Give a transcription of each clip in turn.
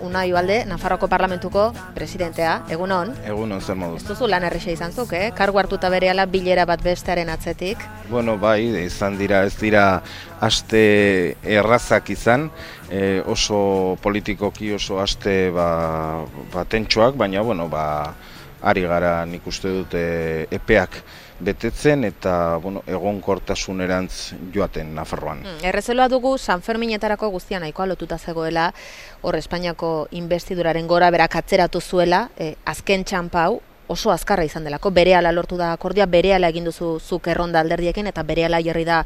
Unai Ugalde, Nafarroako Parlamentuko presidentea, egunon. Egunon, zer moduz. Ez duzu lan erresa izan zuk, Kargu hartuta berehala bilera bat bestearen atzetik. Bueno, bai, izan dira, ez dira aste errazak izan, oso politikoki oso aste tentsuak, baina, bueno, ari gara nik uste dut epeak betetzen eta egonkortasunerantz joaten Nafarroan. Errezeloa dugu San Ferminetarako guztia nahikoa lotuta zegoela, hor Espainiako inbestiduraren gora berak atzeratu zuela, azken txanpa hau oso azkarra izan delako, berehala lortu da akordioa, berehala egin duzu zuk erronda alderdiekin eta berehala jarri da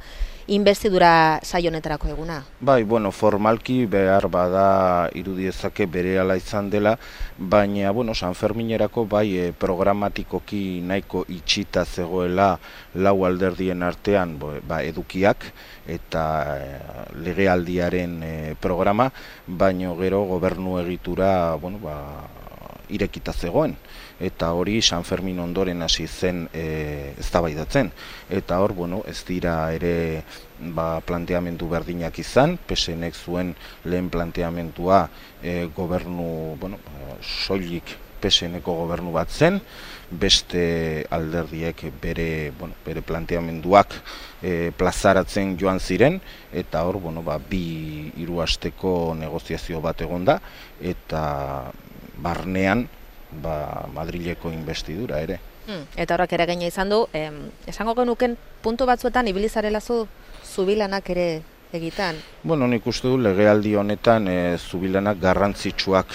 inbestidura saio honetarako eguna. Bai, formalki behar bada irudiezake berehala izan dela, baina, San Ferminerako bai programatikoki nahiko itxita zegoela lau alderdien artean edukiak eta legealdiaren programa, baino gero gobernu egitura, irekita zegoen. Eta hori San Fermin ondoren hasi zen eztabaidatzen. Eta hor, ez dira ere planteamendu berdinak izan, PSNek zuen lehen planteamentua gobernu, soilik PSNeko gobernu bat zen, beste alderdiek bere planteamenduak plazaratzen joan ziren, eta hor, hiru asteko negoziazio bat egonda, eta barnean Madrileko inbestidura ere. Eta horrak eragina izan du, esango genuken puntu batzuetan ibilizarela zubilanak ere egitan? Nik uste du legealdi honetan zubilanak garrantzitsuak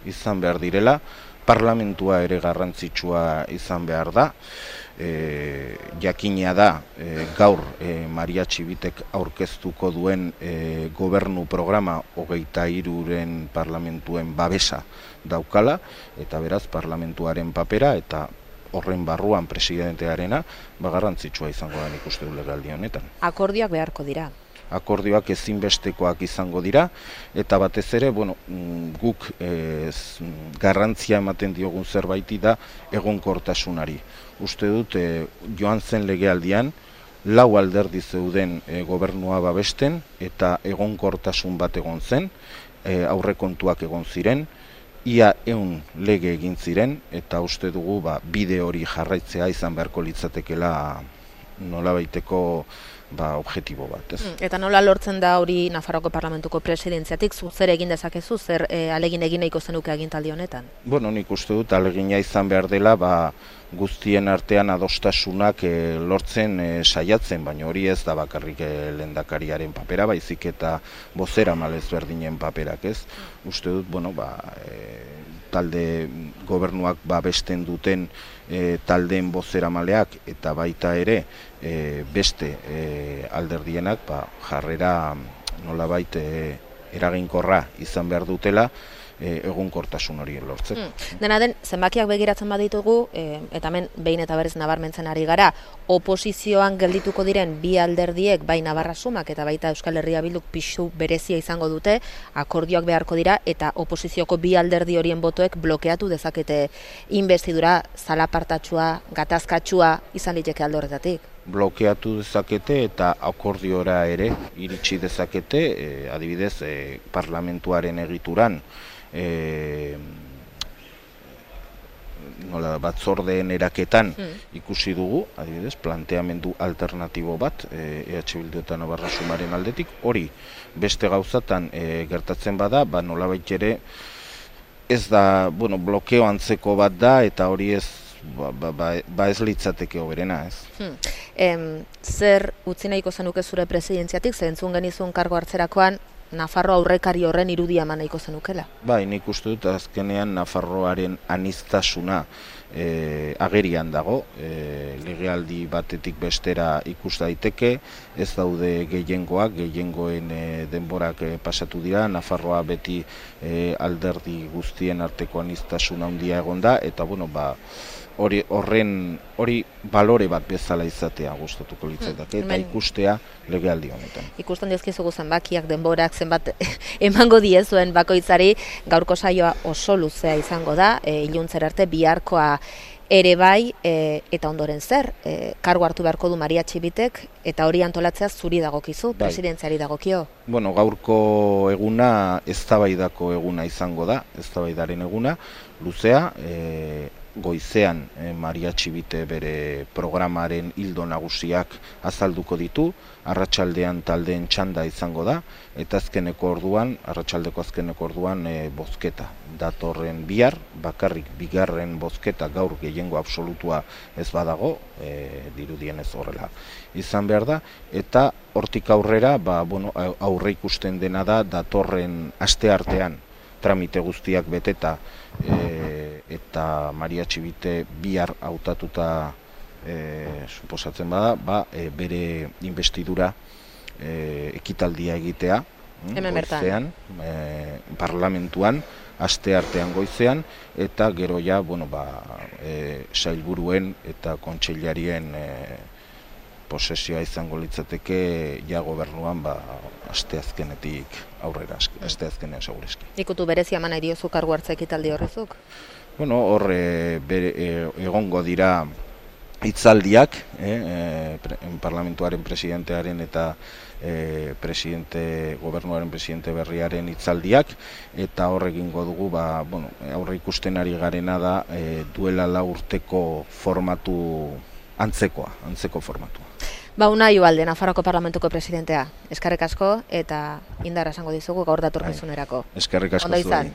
izan behar direla, parlamentua ere garrantzitsua izan behar da, jakina da gaur Maria Txibitek aurkeztuko duen gobernu programa 23 parlamentuen babesa daukala, eta beraz parlamentuaren papera eta horren barruan presidentearena garrantzitsua izango da nik uste du legealdi honetan. Akordioak beharko dira? Akordioak ezinbestekoak izango dira, eta batez ere, guk garrantzia ematen diogun zerbaiti da egonkortasunari. Uste dut, joan zen legealdian, lau alderdi zeuden gobernua babesten, eta egonkortasun bat egon zen, aurrekontuak egon ziren, ia 100 lege egin ziren, eta uste dugu bide hori jarraitzea izan beharko litzatekela nolabaiteko objektibo bat. Eta nola lortzen da hori Nafarroako Parlamentuko presidentziatik, zer egin dezakezu, zer alegin egin nahiko zenuke agintaldi honetan? Nik uste dut alegina izan behar dela, guztien artean adostasunak lortzen saiatzen, baina hori ez da bakarrik lehendakariaren papera, baizik eta bozeramalez berdinen paperak, ez? Uste dut, talde gobernuak babesten duten taldeen bozeramaleak eta baita ere beste alderdienak jarrera nolabait eraginkorra izan behar dutela egonkortasun hori lortzeko. Dena den, zenbakiak begiratzen baditugu, eta hemen behin eta berriz nabarmentzen ari gara, oposizioan geldituko diren bi alderdiek, bai Navarra Sumak eta baita Euskal Herria Bilduk pisu berezia izango dute, akordioak beharko dira, eta oposizioko bi alderdi horien botoek blokeatu dezakete inbestidura zalapartatsua, gatazkatsua izan liteke alde horretatik. Blokeatu dezakete eta akordiora ere iritsi dezakete, adibidez, parlamentuaren egituran, batzordeen eraketan ikusi dugu, adibidez, planteamendu alternatibo bat EH Bildu eta Navarra Sumaren aldetik, hori beste gauzatan gertatzen bada, nolabait ere ez da, blokeo antzeko bat da, eta hori ez ez litzateke hoberena, ez? Zer utzi nahiko zenuke zure presidentziatik, zentzun genizun kargo hartzerakoan, Nafarro aurrekari horren irudia eman nahiko zenukela? Nik uste dut azkenean Nafarroaren aniztasuna agerian dago, legealdi batetik bestera ikus daiteke, ez daude gehiengoen denborak pasatu dira, Nafarroa beti alderdi guztien arteko aniztasuna handia egon da, eta hori balore bat bezala izatea gustatuko litzateke eta ikustea legealdi honetan. Ikusten dizkizugu zenbakiak, denborak, zenbat emango diezuen bakoitzari, gaurko saioa oso luzea izango da, iluntzera arte biharkoa ere bai, eta ondoren zer, kargu hartu beharko du Maria Txibitek, eta hori antolatzea zuri dagokizu, presidentziari dagokio. Bueno, gaurko eguna eztabaidako eguna izango da, eztabaidaren eguna, luzea, goizean Maria Txibite bere programaren ildo nagusiak azalduko ditu, arratsaldean taldeen txanda izango da, eta arratsaldeko azkeneko orduan bozketa. Datorren bihar, bakarrik bigarren bozketa gaur gehiengo absolutua ez badago, dirudienez horrela izan behar da, eta hortik aurrera, aurre ikusten dena da datorren asteartean tramite guztiak beteta eta Maria Txibite bihar hautatuta suposatzen bada, bere investidura ekitaldia egitea Hemen goizean, parlamentuan, asteartean goizean, eta gero ja, sailburuen eta kontseilarien posesioa izango litzateke ja gobernuan asteazkenetik aurrera, asteazkenean segureski. Ikutu berezia eman nahi diozu kargu hartze ekitaldi horrezuk? Hor egongo dira hitzaldiak, parlamentuaren presidentearen eta gobernuaren presidente berriaren hitzaldiak, eta hor egingo dugu, aurre ikusten ari garena da duela 4 urteko formatu antzeko formatua. Unai Ugalde, Nafarroako Parlamentuko presidentea. Eskerrik asko eta indarra esango dizugu gaur datorkizunerako. Eskerrik asko zuei.